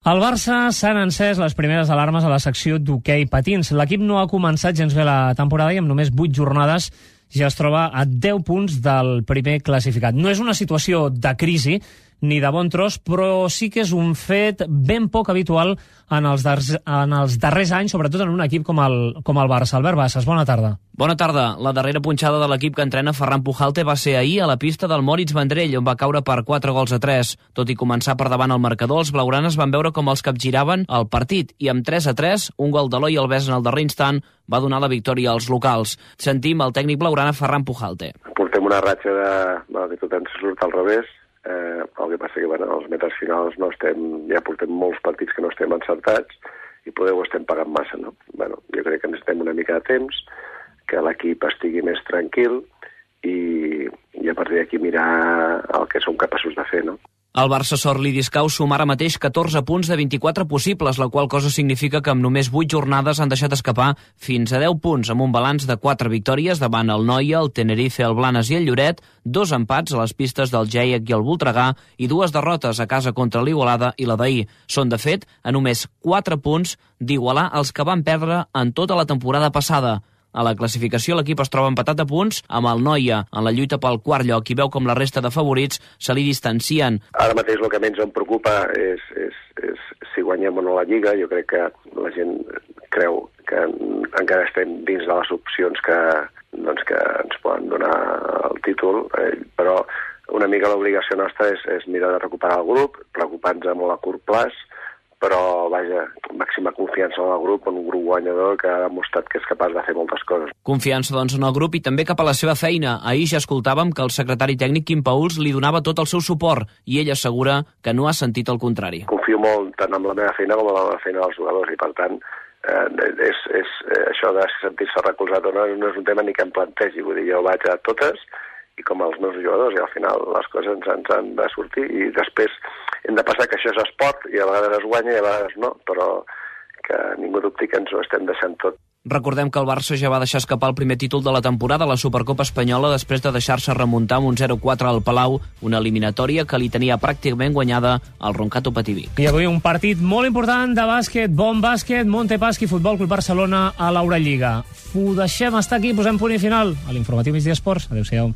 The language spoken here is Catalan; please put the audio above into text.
Al Barça s'han encès les primeres alarmes a la secció d'hoquei patins. L'equip no ha començat gens bé la temporada i amb només 8 jornades ja es troba a 10 punts del primer classificat. No és una situació de crisi ni de bon tros, però sí que és un fet ben poc habitual en els darrers anys, sobretot en un equip com el Barça. Albert Bassas, bona tarda. Bona tarda. La darrera punxada de l'equip que entrena Ferran Pujalte va ser ahir a la pista del Moritz Vendrell, on va caure per 4-3. Tot i començar per davant el marcador, els blaugranes van veure com els capgiraven el partit i amb 3-3, un gol d'Eloi Alves en el darrer instant va donar la victòria als locals. Sentim el tècnic blaugrana Ferran Pujalte. Portem una ratxa que tot ens surt al revés. El que passa que els metres finals ja portem molts partits que no estem encertats i poder ho estem pagant massa, no? Jo crec que necessitem una mica de temps, que l'equip estigui més tranquil i a partir d'aquí mirar el que som capaços de fer, no? El Barça sort Lidiscau suma ara mateix 14 punts de 24 possibles, la qual cosa significa que amb només 8 jornades han deixat escapar fins a 10 punts, amb un balanç de 4 victòries davant el Noia, el Tenerife, el Blanes i el Lloret, 2 empats a les pistes del Geiec i el Voltregà i 2 derrotes a casa contra l'Igualada i la d'ahir. Són, de fet, a només 4 punts d'igualar els que van perdre en tota la temporada passada. A la classificació l'equip es troba empatat a punts amb el Noia en la lluita pel quart lloc i veu com la resta de favorits se li distancien. Ara mateix el que menys em preocupa és si guanyem o no la Lliga. Jo crec que la gent creu que encara estem dins de les opcions que ens poden donar el títol, però una mica l'obligació nostra és mirar de recuperar el grup, preocupar-nos amb la curt plaç, però, màxima confiança en el grup, en un grup guanyador que ha demostrat que és capaç de fer moltes coses. Confiança, doncs, en el grup i també cap a la seva feina. Ahir ja escoltàvem que el secretari tècnic Quim Pauls li donava tot el seu suport i ell assegura que no ha sentit el contrari. Confio molt tant en la meva feina com en la feina dels jugadors i, per tant, això de sentir-se recolzat o no és un tema ni que em plantegi. Vull dir, jo vaig a totes i com els meus jugadors i al final les coses ens han de sortir i després hem de passar que això és esport i a vegades es guanya i a vegades no, però que ningú dubti que ens ho estem deixant tot. Recordem que el Barça ja va deixar escapar el primer títol de la temporada a la Supercopa Espanyola després de deixar-se remuntar amb un 0-4 al Palau, una eliminatòria que li tenia pràcticament guanyada al Roncato Pativí. I avui un partit molt important de bàsquet, bon bàsquet, Montepaschi, Futbol Club Barcelona a l'Eurolliga. Ho deixem estar aquí, posem punt i final a l'informatiu Migdia Esports. Adéu-siau.